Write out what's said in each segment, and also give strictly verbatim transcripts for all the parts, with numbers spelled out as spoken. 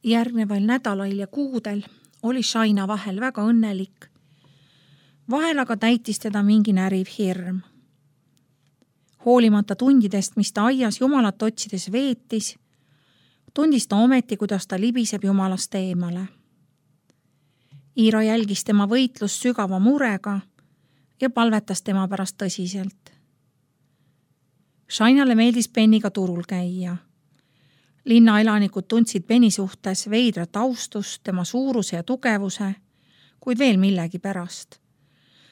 Järgneval nädalail ja kuudel oli Shaina vahel väga õnnelik. Vahel aga täitis teda mingi näriv hirm. Hoolimata tundidest, mis ta aias jumalat otsides veetis, tundis ta ometi, kuidas ta libiseb jumalast eemale. Iira jälgis tema võitlust sügava murega ja palvetas tema pärast tõsiselt. Shainale meeldis Beniga turul käia. Linnaelanikud tundsid Beni suhtes veidrat austust, tema suuruse ja tugevuse, kuid veel millegi pärast.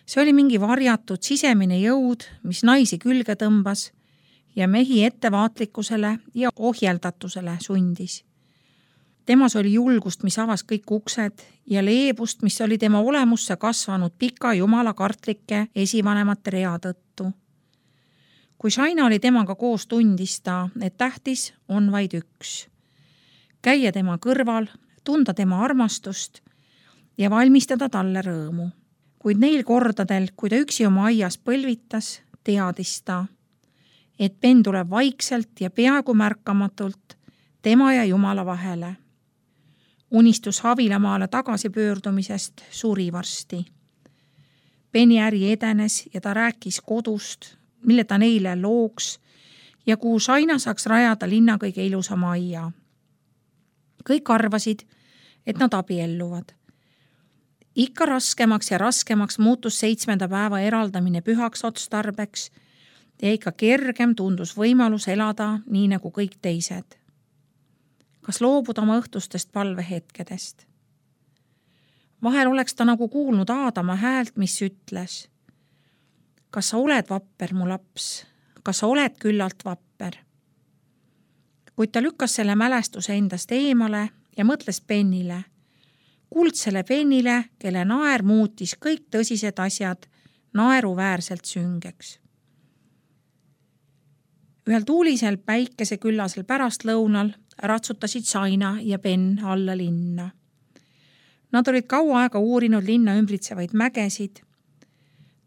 See oli mingi varjatud sisemine jõud, mis naisi külge tõmbas ja mehi ettevaatlikkusele ja ohjeldatusele sundis. Temas oli julgust, mis avas kõik uksed ja leebust, mis oli tema olemusse kasvanud pika jumala kartlike esivanemate rea tõttu. Kui Shaina oli temaga koos, tundis ta, et tähtis on vaid üks. Käia tema kõrval, tunda tema armastust ja valmistada talle rõõmu. Kuid neil kordadel, kui ta üksi oma aias põlvitas, teadis ta, et Ben tuleb vaikselt ja peaaegu märkamatult tema ja Jumala vahele. Unistus Havilamaale tagasi pöördumisest suri varsti. Beni äri edenes ja ta rääkis kodust, mille ta neile looks ja kuhu Shaina saaks rajada linna kõige ilusama aia. Kõik arvasid, et nad abielluvad. Ikka raskemaks ja raskemaks muutus seitsmenda päeva eraldamine pühaks otstarbeks ja ikka kergem tundus võimalus elada nii nagu kõik teised. Kas loobuda oma õhtustest palvehetkedest? Vahel oleks ta nagu kuulnud Aadama häält, mis ütles: kas sa oled vapper, mu laps? Kas sa oled küllalt vapper? Kuid ta lükkas selle mälestuse endast eemale ja mõtles Benile, kuldsele Benile, kelle naer muutis kõik tõsised asjad naeruväärselt süngeks. Ühel tuulisel päikeseküllasel pärastlõunal ratsutasid Shaina ja Ben alla linna. Nad olid kaua aega uurinud linna ümbritsevaid mägesid.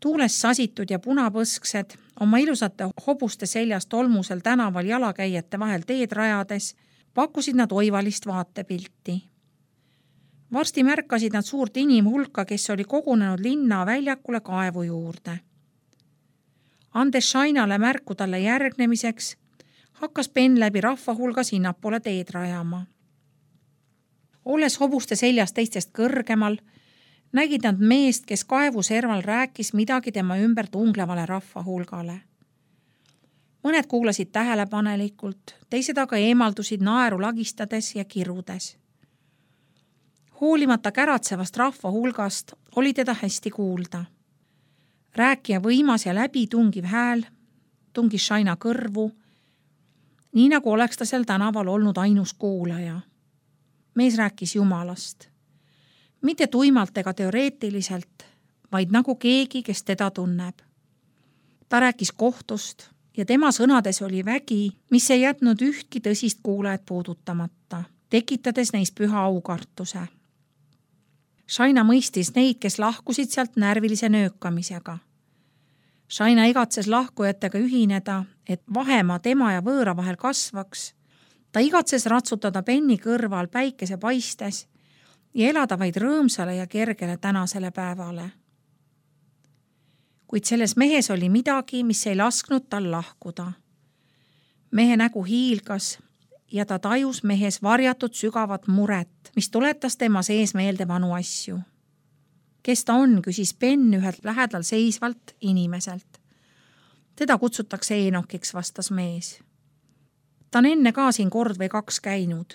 Tuules sasitud ja punapõsksed, oma ilusate hobuste seljast tolmusel tänaval jalakäijate vahel teed rajades, pakkusid nad oivalist vaatepilti. Varsti märkasid nad suurt inimhulka, kes oli kogunenud linna väljakule kaevu juurde. Andes Shainale märku talle järgnemiseks, hakkas Ben läbi rahva hulga sinnapoole teed rajama. Olles hobuste seljas teistest kõrgemal, nägid nad meest, kes kaevu serval rääkis midagi tema ümber tunglevale rahva hulgale. Mõned kuulasid tähelepanelikult, teised aga eemaldusid naeru lagistades ja kirudes. Hoolimata käratsevast rahva hulgast oli teda hästi kuulda. Rääkija võimas ja läbitungiv hääl tungis Shaina kõrvu, nii nagu oleks ta seal tänaval olnud ainus kuulaja. Mees rääkis Jumalast. Mitte tuimalt ega teoreetiliselt, vaid nagu keegi, kes teda tunneb. Ta rääkis kohtust ja tema sõnades oli vägi, mis ei jätnud ühtki tõsist kuulajat puudutamata, tekitades neis püha aukartuse. Shaina mõistis neid, kes lahkusid sealt närvilise nöökamisega. Shaina igatses lahkujatega ühineda, et vahemaa tema ja võõra vahel kasvaks. Ta igatses ratsutada Beni kõrval päikese paistes ja elada vaid rõõmsale ja kergele tänasele päevale. Kuid selles mehes oli midagi, mis ei lasknud tal lahkuda. Mehe nägu hiilgas ja ta tajus mehes varjatud sügavat muret, mis tuletas tema sees meelde vanu asju. Kes ta on, küsis Ben ühelt lähedal seisvalt inimeselt. Teda kutsutakse Eenokiks, vastas mees. Ta on enne ka siin kord või kaks käinud.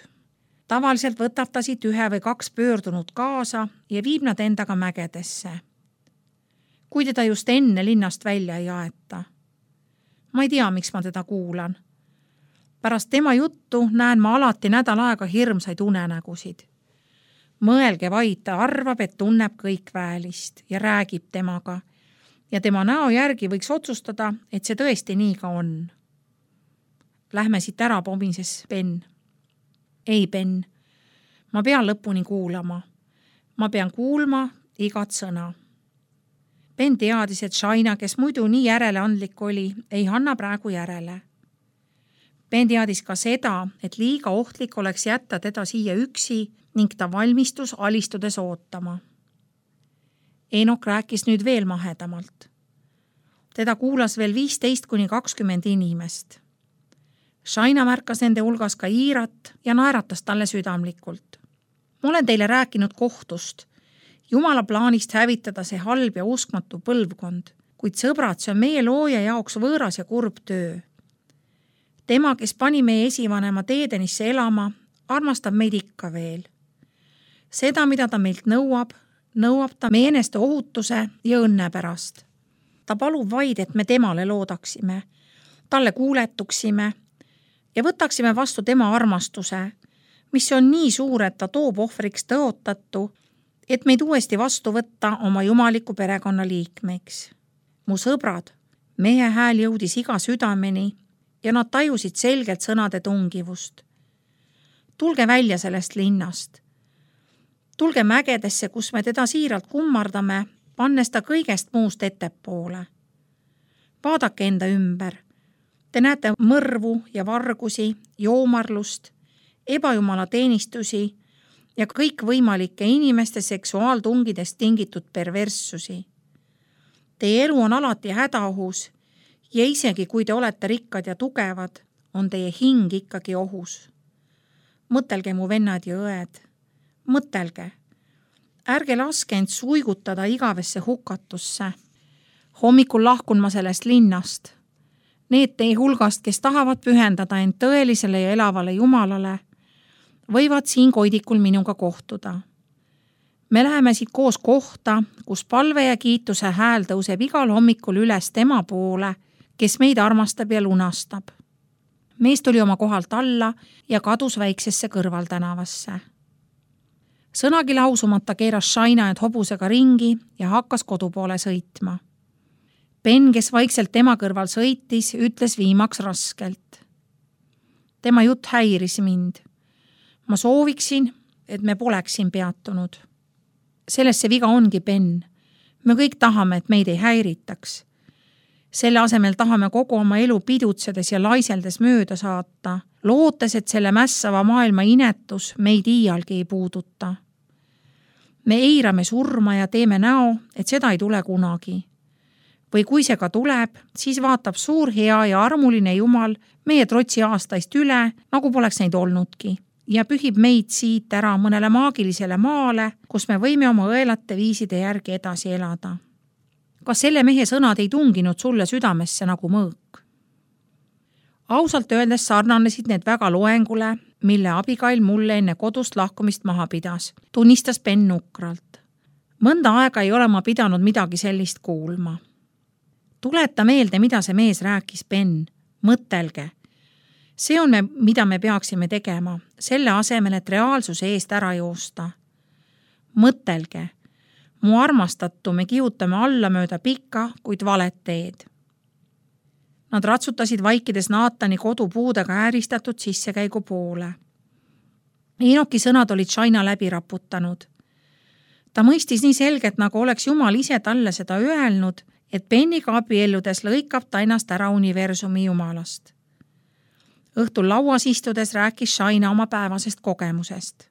Tavaliselt võtab ta siit ühe või kaks pöördunud kaasa ja viib nad endaga mägedesse. Kui teda just enne linnast välja ei aeta. Ma ei tea, miks ma teda kuulan. Pärast tema juttu näen ma alati nädal aega hirmsaid unenägusid. Mõelge vaid, ta arvab, et tunneb kõik väelist ja räägib temaga. Ja tema näo järgi võiks otsustada, et see tõesti nii ka on. Lähme siit ära, pomises Ben. Ei, Ben, ma pean lõpuni kuulama. Ma pean kuulma igat sõna. Ben teadis, et Shaina, kes muidu nii järeleandlik oli, ei anna praegu järele. Ben teadis ka seda, et liiga ohtlik oleks jätta teda siia üksi ning ta valmistus alistudes ootama. Eenok rääkis nüüd veel mahedamalt. Teda kuulas veel viisteist kuni kakskümmend inimest. Shaina märkas nende hulgas ka Iirat ja naeratas talle südamlikult. Ma olen teile rääkinud kohtust, Jumala plaanist hävitada see halb ja uskmatu põlvkond, kuid sõbrad, see on meie looja jaoks võõras ja kurb töö. Tema, kes pani meie esivanema Teedenisse elama, armastab meid ikka veel. Seda, mida ta meilt nõuab, nõuab ta meie eneste ohutuse ja õnne pärast. Ta palub vaid, et me temale loodaksime, talle kuuletuksime ja võtaksime vastu tema armastuse, mis on nii suur, et ta toob ohvriks tõotatu, et meid uuesti vastu võtta oma jumaliku perekonna liikmeks. Mu sõbrad, meie hääl jõudis iga südameni ja nad tajusid selgelt sõnade tungivust. Tulge välja sellest linnast. Tulge mägedesse, kus me teda siiralt kummardame, pannes ta kõigest muust ettepoole. Vaadake enda ümber. Te näete mõrvu ja vargusi, joomarlust, ebajumala teenistusi ja kõikvõimalike inimeste seksuaaltungidest tingitud perverssusi. Teie elu on alati hädaohus ja isegi kui te olete rikkad ja tugevad, on teie hing ikkagi ohus. Mõtelge, mu vennad ja õed, mõtelge. Ärge laske end suigutada igavesse hukatusse. Hommikul lahkun ma sellest linnast. Need teie hulgast, kes tahavad pühendada end tõelisele ja elavale Jumalale, võivad siin koidikul minuga kohtuda. Me läheme siit koos kohta, kus palve ja kiituse hääl tõuseb igal hommikul üles tema poole, kes meid armastab ja lunastab. Mees tuli oma kohalt alla ja kadus väiksesse kõrvaltänavasse. Sõnagi lausumata keeras Shaina end hobusega ringi ja hakkas kodu poole sõitma. Ben, kes vaikselt tema kõrval sõitis, ütles viimaks raskelt. Tema jutt häiris mind. Ma sooviksin, et me poleks siin peatunud. Selles see viga ongi, Ben. Me kõik tahame, et meid ei häiritaks. Selle asemel tahame kogu oma elu pidutsedes ja laiseldes mööda saata, lootes, et selle mässava maailma inetus meid iialgi ei puuduta. Me eirame surma ja teeme näo, et seda ei tule kunagi. Või kui see ka tuleb, siis vaatab suur hea ja armuline Jumal meie trotsi aastaist üle, nagu poleks neid olnudki, ja pühib meid siit ära mõnele maagilisele maale, kus me võime oma õelate viiside järgi edasi elada. Kas selle mehe sõnad ei tunginud sulle südamesse nagu mõõk? Ausalt öeldes sarnanesid need väga loengule, mille abigail mulle enne kodust lahkumist maha pidas, tunnistas Ben nukralt. Mõnda aega ei ole ma pidanud midagi sellist kuulma. Tuleta meelde, mida see mees rääkis, Ben. Mõtelge. See on, me, mida me peaksime tegema, selle asemel, et reaalsuse eest ära joosta. Mõtelge. Mu armastatu me kihutame alla mööda pikka, kuid valet teed. Nad ratsutasid vaikides Naatani kodupuudega ääristatud sissekäigu poole. Eenoki sõnad olid Shaina läbi raputanud. Ta mõistis nii selgelt, nagu oleks Jumal ise talle seda öelnud, et Beniga abielludes lõikab ta ennast ära universumi Jumalast. Õhtul lauas istudes rääkis Shaina oma päevasest kogemusest.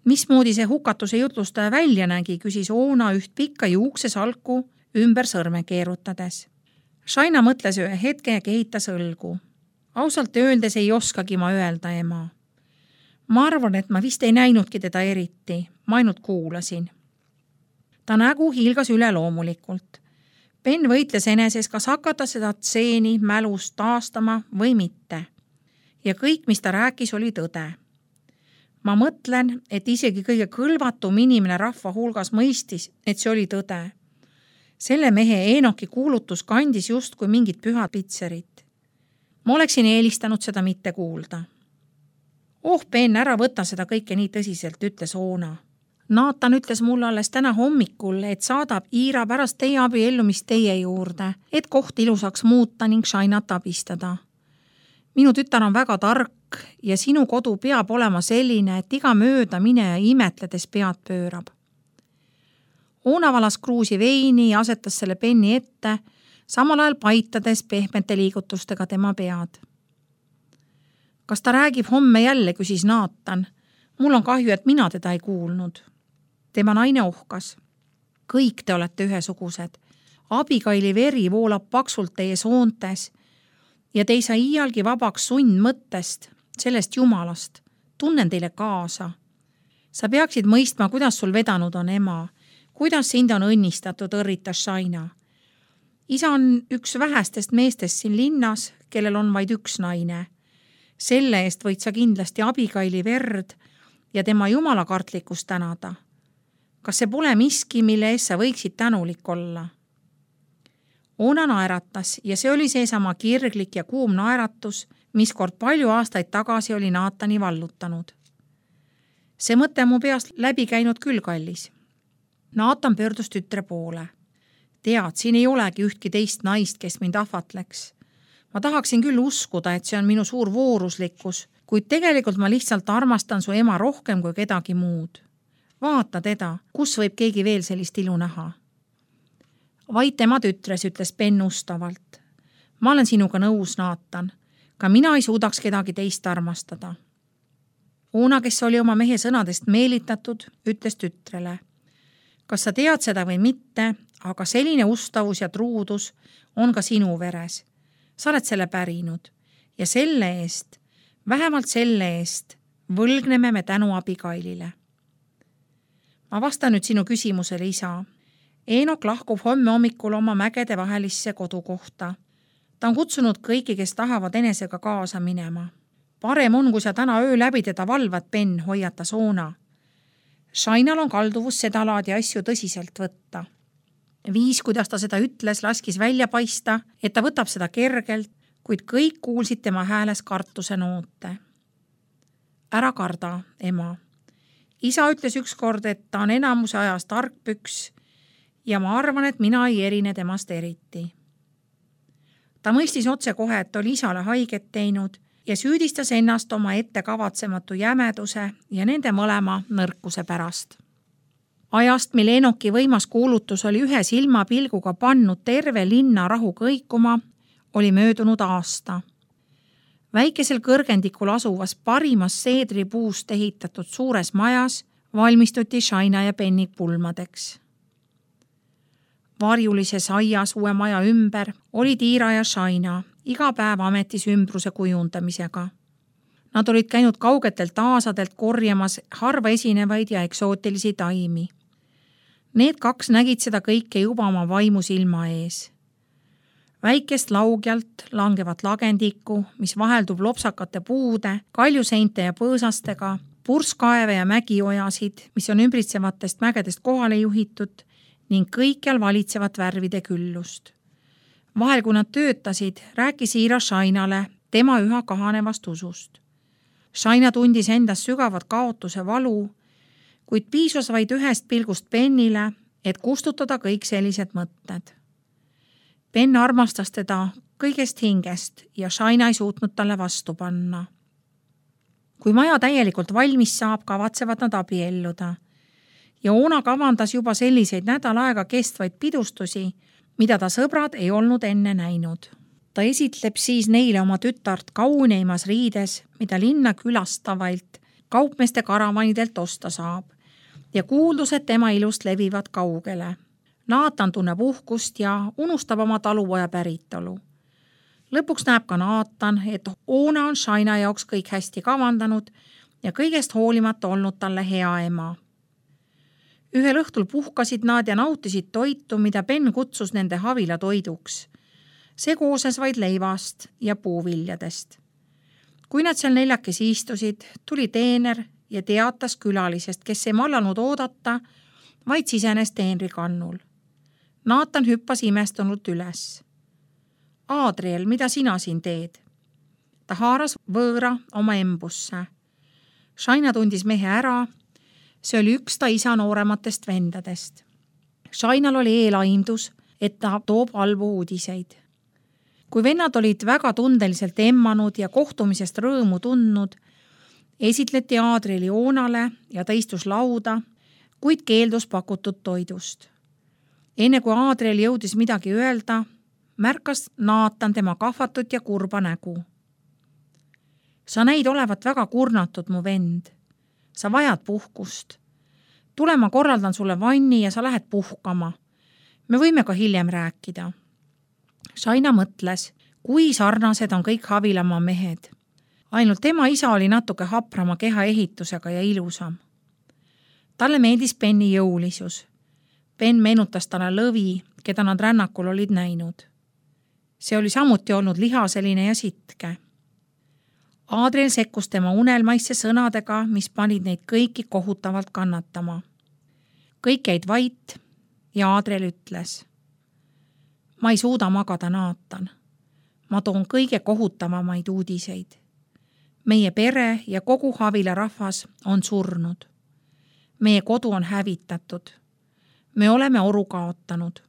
Mismoodi see hukatuse jutlustaja välja nägi, küsis Oona üht pikka juukse salku ümber sõrme keerutades. Shaina mõtles ühe hetke ja kehitas õlgu. Ausalt öeldes ei oskagi ma öelda, ema. Ma arvan, et ma vist ei näinudki teda eriti, ma ainult kuulasin. Ta nägu hiilgas üle loomulikult. Ben võitles eneses, kas hakata seda tseeni mälus taastama või mitte. Ja kõik, mis ta rääkis, oli tõde. Ma mõtlen, et isegi kõige kõlvatum inimene rahva hulgas mõistis, et see oli tõde. Selle mehe Eenoki kuulutus kandis just kui mingit pühad pitserit. Ma oleksin eelistanud seda mitte kuulda. Oh, Ben, ära võta seda kõike nii tõsiselt, ütles Oona. Naatan ütles mulle alles täna hommikul, et saadab Iira pärast teie abiellumist teie juurde, et koht ilusaks muuta ning Shainat abistada. Minu tütar on väga tark ja sinu kodu peab olema selline, et iga mööda mine ja imetledes pead pöörab. Oona valas kruusi veini ja asetas selle Beni ette, samal ajal paitades pehmete liigutustega tema pead. Kas ta räägib homme jälle, küsis Naatan. Mul on kahju, et mina teda ei kuulnud. Tema naine ohkas. Kõik te olete ühesugused. Abigaili veri voolab paksult teie soontes ja te ei saa iialgi vabaks sund mõttest, sellest Jumalast. Tunnen teile kaasa. Sa peaksid mõistma, kuidas sul vedanud on ema, kuidas sind on õnnistatud, õrritas Shaina. Isa on üks vähestest meestest siin linnas, kellel on vaid üks naine. Selle eest võid sa kindlasti Abigaili verd ja tema jumalakartlikkust tänada. Kas see pole miski, mille eest sa võiksid tänulik olla? Oona naeratas ja see oli seesama kirglik ja kuum naeratus, mis kord palju aastaid tagasi oli Naatani vallutanud. See mõte mu peast läbi käinud küll kallis. Naatan pöördus tütre poole. Tead, siin ei olegi ühtki teist naist, kes mind ahvatleks. Ma tahaksin küll uskuda, et see on minu suur vooruslikkus, kuid tegelikult ma lihtsalt armastan su ema rohkem kui kedagi muud. Vaata teda, kus võib keegi veel sellist ilu näha? Vaid tema tütres, ütles Ben ustavalt. Ma olen sinuga nõus, Naatan. Ka mina ei suudaks kedagi teist armastada. Oona, kes oli oma mehe sõnadest meelitatud, ütles tütrele. Kas sa tead seda või mitte, aga selline ustavus ja truudus on ka sinu veres. Sa oled selle pärinud ja selle eest, vähemalt selle eest, võlgneme me tänu Abigailile. Ma vastan nüüd sinu küsimusele, isa. Eenok lahkub homme hommikul oma mägede vahelisse kodukohta. Ta on kutsunud kõiki, kes tahavad enesega kaasa minema. Parem on, kui sa täna öö läbi teda valvad, Ben, hoiatas Oona. Shainal on kalduvus seda laadi asju tõsiselt võtta. Viis, kuidas ta seda ütles, laskis välja paista, et ta võtab seda kergelt, kuid kõik kuulsid tema hääles kartuse noote. Ära karda, ema. Isa ütles ükskord, et ta on enamuse ajas tarkpüks ja ma arvan, et mina ei erine temast eriti. Ta mõistis otse kohe, et oli isale haiget teinud ja süüdistas ennast oma ette kavatsematu jämeduse ja nende mõlema nõrkuse pärast. Ajast, mil Eenoki võimas kuulutus oli ühe silmapilguga pannud terve linna rahu kõikuma, oli möödunud aasta. Väikesel kõrgendikul asuvas parimas seedripuust ehitatud suures majas valmistuti Shaina ja Benni pulmadeks. Varjulises aias uue maja ümber oli Tiira ja Shaina iga päev ametis ümbruse kujundamisega. Nad olid käinud kaugetelt aasadelt korjamas harva esinevaid ja eksootilisi taimi. Need kaks nägid seda kõike juba oma vaimu silma ees. Väikest laugjalt langevat lagendikku, mis vaheldub lopsakate puude, kaljuseinte ja põõsastega, purskaeve ja mägiojasid, mis on ümbritsevatest mägedest kohale juhitud ning kõikjal valitsevat värvide küllust. Vahel, kui nad töötasid, rääkis Iira Shainale tema üha kahanevast usust. Shaina tundis endas sügavat kaotuse valu, kuid piisas vaid ühest pilgust Bennile, et kustutada kõik sellised mõtted. Ben armastas teda kõigest hingest ja Shaina ei suutnud talle vastu panna. Kui maja täielikult valmis saab, kavatsevad nad abielluda. Ja Oona kavandas juba selliseid nädal aega kestvaid pidustusi, mida ta sõbrad ei olnud enne näinud. Ta esitleb siis neile oma tütart kauneimas riides, mida linna külastavalt kaupmeeste karavanidelt osta saab ja kuuldused tema ilust levivad kaugele. Naatan tunneb uhkust ja unustab oma talupoja päritolu. Lõpuks näeb ka Naatan, et Oona on Shaina jaoks kõik hästi kavandanud ja kõigest hoolimata olnud talle hea ema. Ühel õhtul puhkasid nad ja nautisid toitu, mida Ben kutsus nende havila toiduks. See kooses vaid leivast ja puuviljadest. Kui nad seal neljakesi istusid, tuli teener ja teatas külalisest, kes ei mallanud oodata, vaid sisenes teenri kannul. Naatan hüppas imestunult üles. Adriel, mida sina siin teed? Ta haaras võõra oma embusse. Shaina tundis mehe ära. See oli üks ta isa noorematest vendadest. Shainal oli eelaimdus, et ta toob halbu uudiseid. Kui vennad olid väga tundeliselt emmanud ja kohtumisest rõõmu tundnud, esitleti Adrieli Oonale ja ta istus lauda, kuid keeldus pakutud toidust. Enne kui Adriel jõudis midagi öelda, märkas Naatan tema kahvatut ja kurba nägu. Sa näid olevat väga kurnatud, mu vend. Sa vajad puhkust. Tule, ma korraldan sulle vanni ja sa lähed puhkama. Me võime ka hiljem rääkida. Shaina mõtles, kui sarnased on kõik Havilamaa mehed. Ainult tema isa oli natuke haprama keha ehitusega ja ilusam. Talle meeldis Benni jõulisus. Ben meenutas talle lõvi, keda nad rännakul olid näinud. See oli samuti olnud lihaseline ja sitke. Adriel sekkus tema unelmaisse sõnadega, mis panid neid kõiki kohutavalt kannatama. Kõik jäid vait ja Adriel ütles: ma ei suuda magada, Naatan. Ma toon kõige kohutavamaid uudiseid. Meie pere ja kogu Havila rahvas on surnud. Meie kodu on hävitatud. Me oleme oru kaotanud.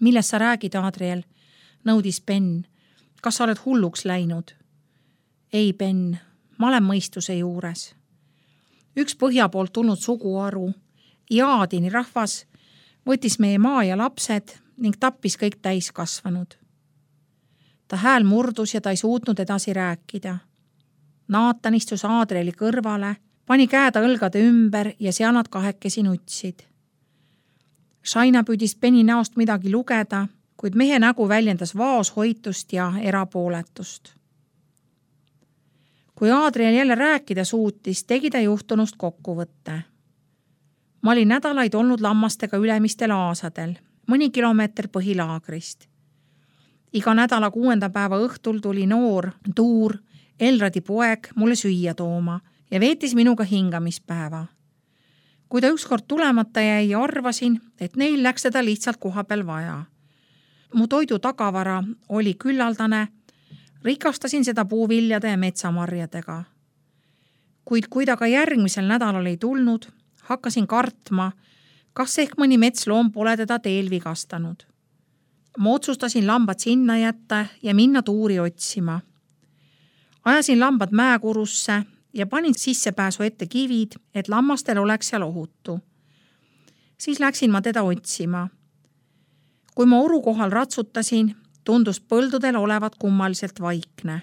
Millest sa räägid, Adriel? Nõudis Ben. Kas sa oled hulluks läinud? Ei, Ben, ma olen mõistuse juures. Üks põhja poolt tulnud suguharu, Jaadini rahvas, võttis meie maa ja lapsed ning tappis kõik täiskasvanud. Ta hääl murdus ja ta ei suutnud edasi rääkida. Naatan istus Adrieli kõrvale, pani käeda õlgade ümber ja seal nad kahekesi nutsid. Shaina püüdis Benni näost midagi lugeda, kuid mehe nägu väljendas vaoshoitust ja erapooletust. Kui Adriel jälle rääkida suutis, tegi ta juhtunust kokkuvõtte. Ma olin nädalaid olnud lammastega ülemistel aasadel, mõni kilomeeter põhilaagrist. Iga nädala kuuenda päeva õhtul tuli noor, Tuur, Elradi poeg mulle süüa tooma ja veetis minuga hingamispäeva. Kui ta ükskord tulemata jäi ja arvasin, et neil läks teda lihtsalt koha peal vaja. Mu toidu tagavara oli küllaldane, rikastasin seda puuviljade ja metsamarjadega. Kuid kui ta ka järgmisel nädalal ei tulnud, hakkasin kartma, kas ehk mõni metsloom pole teda teel vigastanud. Ma otsustasin lambad sinna jätta ja minna Tuuri otsima. Ajasin lambad mäekurusse ja panin sissepääsu ette kivid, et lammastel oleks seal ohutu. Siis läksin ma teda otsima. Kui ma oru kohal ratsutasin, tundus põldudel olevat kummaliselt vaikne.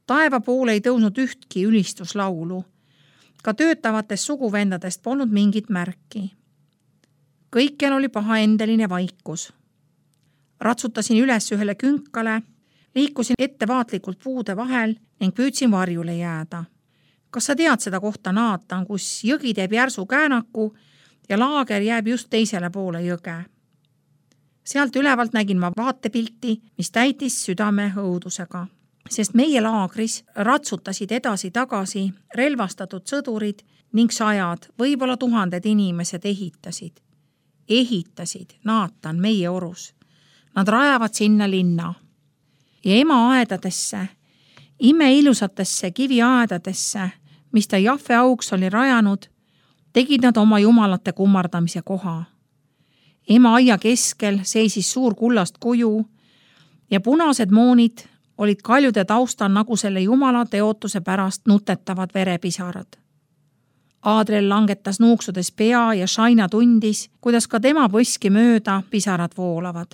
Taeva poole ei tõusnud ühtki ülistuslaulu. Ka töötavatest suguvendadest polnud mingit märki. Kõikjal oli pahaendeline vaikus. Ratsutasin üles ühele künkale, liikusin ettevaatlikult puude vahel ning püüdsin varjule jääda. Kas sa tead seda kohta, Naatan, kus jõgi teeb järsu käänaku ja laager jääb just teisele poole jõge? Sealt ülevalt nägin ma vaatepilti, mis täitis südame õudusega, sest meie laagris ratsutasid edasi-tagasi relvastatud sõdurid ning sajad, võib-olla tuhanded inimesed ehitasid. Ehitasid, Naatan, meie orus. Nad rajavad sinna linna. Ja ema aedadesse, imeilusatesse kiviaedadesse, mis ta Jahve auks oli rajanud, tegid nad oma jumalate kummardamise koha. Ema aia keskel seisis suur kullast kuju ja punased moonid olid kaljude taustal nagu selle jumala teotuse pärast nutetavad verepisarad. Adriel langetas nuuksudes pea ja Shaina tundis, kuidas ka tema põski mööda pisarad voolavad.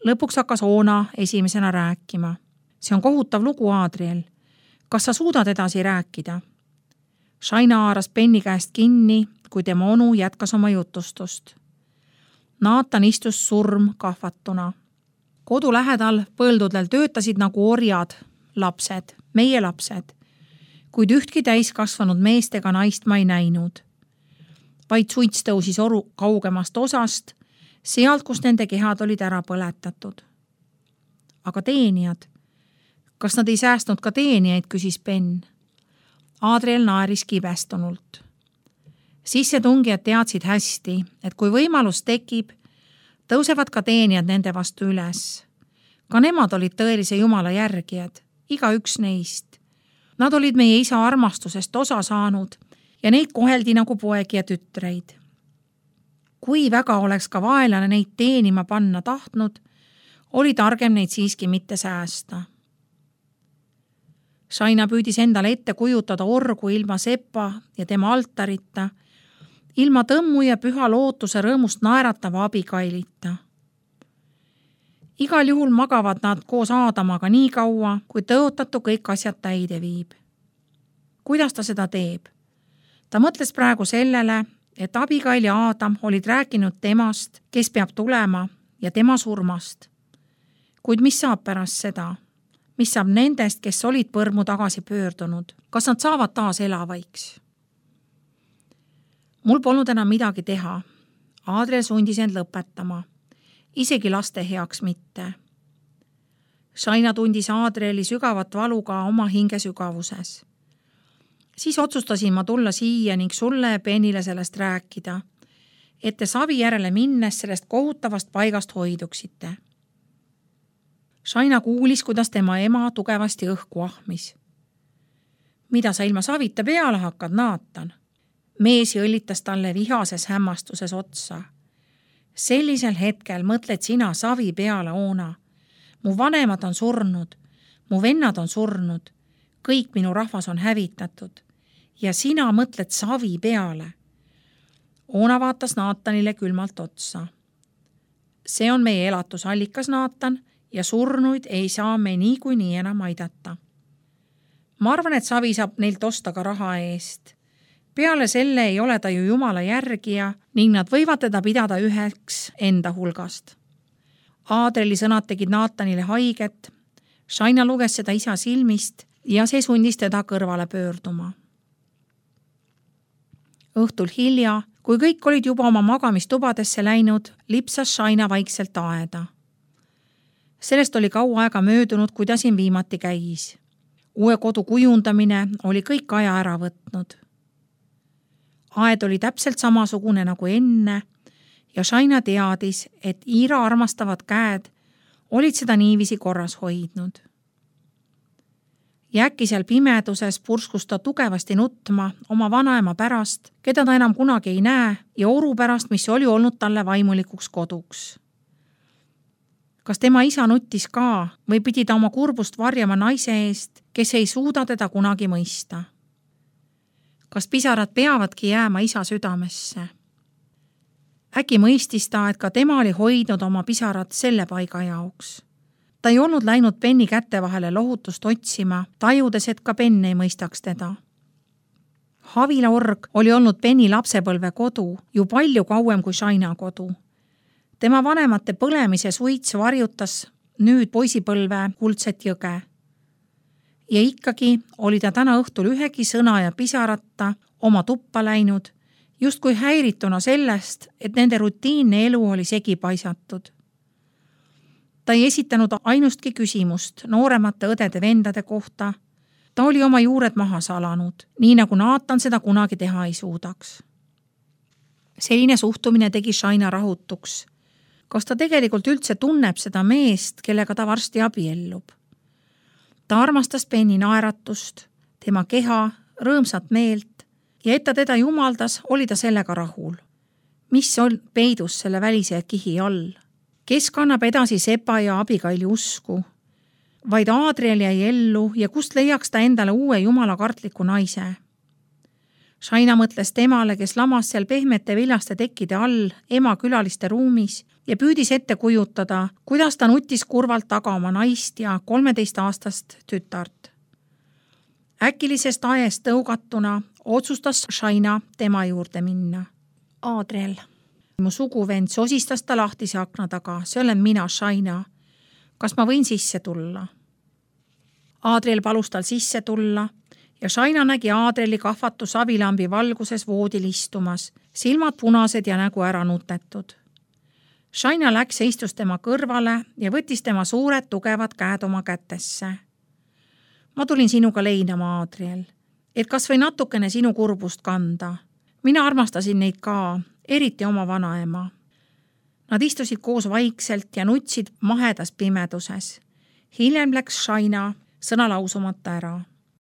Lõpuks hakkas Oona esimesena rääkima. See on kohutav lugu, Adriel. Kas sa suudad edasi rääkida? Shaina haaras Benni käest kinni, kui tema onu jätkas oma jutustust. Naatan istus surm kahvatuna. Kodu lähedal põldudel töötasid nagu orjad, lapsed, meie lapsed, kuid ühtki täiskasvanud meest ega naist ma ei näinud. Vaid suits tõusis oru kaugemast osast, sealt, kus nende kehad olid ära põletatud. Aga teenijad? Kas nad ei säästnud ka teenijaid, küsis Ben. Adriel naeris kibestunult. Sissetungijad teadsid hästi, et kui võimalus tekib, tõusevad ka teenijad nende vastu üles. Ka nemad olid tõelise Jumala järgijad, iga üks neist. Nad olid meie isa armastusest osa saanud ja neid koheldi nagu poegi ja tütreid. Kui väga oleks ka vaelane neid teenima panna tahtnud, oli targem neid siiski mitte säästa. Shaina püüdis endale ette kujutada orgu ilma sepa ja tema altarita, ilma tõmmu ja püha lootuse rõõmust naeratava abikailita. Igal juhul magavad nad koos Aadamaga nii kaua, kui tõotatu kõik asjad täide viib. Kuidas ta seda teeb? Ta mõtles praegu sellele, et Abigail ja Aadam olid rääkinud temast, kes peab tulema ja tema surmast. Kuid mis saab pärast seda? Mis saab nendest, kes olid põrmu tagasi pöördunud? Kas nad saavad taas elavaiks? Mul polnud enam midagi teha. Adriel sundis end lõpetama. Isegi laste heaks mitte. Shaina tundis Adrieli sügavat valu ka oma hinge sügavuses. Siis otsustasin ma tulla siia ning sulle ja Benile sellest rääkida, et te savi järele minnes sellest kohutavast paigast hoiduksite. Shaina kuulis, kuidas tema ema tugevasti õhku ahmis. Mida sa ilma savita peale hakkad, Naatan? Mees jõllitas talle vihases hämmastuses otsa. Sellisel hetkel mõtled sina savi peale, Oona. Mu vanemad on surnud, mu vennad on surnud, kõik minu rahvas on hävitatud ja sina mõtled savi peale. Oona vaatas Naatanile külmalt otsa. See on meie elatusallikas, Naatan, ja surnuid ei saa me niikuinii enam aidata. Ma arvan, et savi saab neilt osta ka raha eest. Peale selle ei ole ta ju Jumala järgija ning nad võivad teda pidada üheks enda hulgast. Adrieli sõnad tegid Naatanile haiget. Shaina luges seda isa silmist ja see sundis teda kõrvale pöörduma. Õhtul hilja, kui kõik olid juba oma magamistubadesse läinud, lipsas Shaina vaikselt aeda. Sellest oli kaua aega möödunud, kui ta siin viimati käis. Uue kodu kujundamine oli kõik aja ära võtnud. Aed oli täpselt samasugune nagu enne ja Shaina teadis, et Iira armastavad käed olid seda niiviisi korras hoidnud. Ja äkki seal pimeduses purskus ta tugevasti nutma oma vanaema pärast, keda ta enam kunagi ei näe, ja oru pärast, mis oli olnud talle vaimulikuks koduks. Kas tema isa nuttis ka või pidi ta oma kurbust varjama naise eest, kes ei suuda teda kunagi mõista? Kas pisarad peavadki jääma isa südamesse? Äkki mõistis ta, et ka tema oli hoidnud oma pisarad selle paiga jaoks. Ta ei olnud läinud Benni kätte vahele lohutust otsima, tajudes, et ka Ben ei mõistaks teda. Havila org oli olnud Benni lapsepõlve kodu ju palju kauem kui Shaina kodu. Tema vanemate põlemise suits varjutas nüüd poisipõlve kuldset jõge. Ja ikkagi oli ta täna õhtul ühegi sõna ja pisarata oma tuppa läinud, justkui häirituna sellest, et nende rutiinne elu oli segi paisatud. Ta ei esitanud ainustki küsimust nooremate õdede vendade kohta. Ta oli oma juured maha salanud, nii nagu Naatan seda kunagi teha ei suudaks. Selline suhtumine tegi Shaina rahutuks. Kas ta tegelikult üldse tunneb seda meest, kellega ta varsti abiellub? Ta armastas Benni naeratust, tema keha, rõõmsat meelt ja et ta teda jumaldas, oli ta sellega rahul. Mis on peidus selle välise kihi all? Kes kannab edasi Sepa ja Abigaili usku? Vaid Adriel jäi ellu ja kust leiaks ta endale uue jumalakartliku naise? Shaina mõtles temale, kes lamas seal pehmete viljaste tekkide all ema külaliste ruumis ja püüdis ette kujutada, kuidas ta nutis kurvalt taga oma naist ja kolmeteistaastast tütart. Äkilisest aest tõugatuna otsustas Shaina tema juurde minna. Adriel. Mu suguvend sosistas ta lahtise akna taga, see olen mina, Shaina. Kas ma võin sisse tulla? Adriel palus tal sisse tulla ja Shaina nägi Adrieli kahvatu savilambi valguses voodil istumas, silmad punased ja nägu ära nutetud. Shaina läks ja istus tema kõrvale ja võttis tema suured tugevad käed oma kätesse. Ma tulin sinuga leinama, Adriel, et kas või natukene sinu kurbust kanda. Mina armastasin neid ka, eriti oma vanaema. Nad istusid koos vaikselt ja nutsid mahedas pimeduses. Hiljem läks Shaina sõna lausumata ära.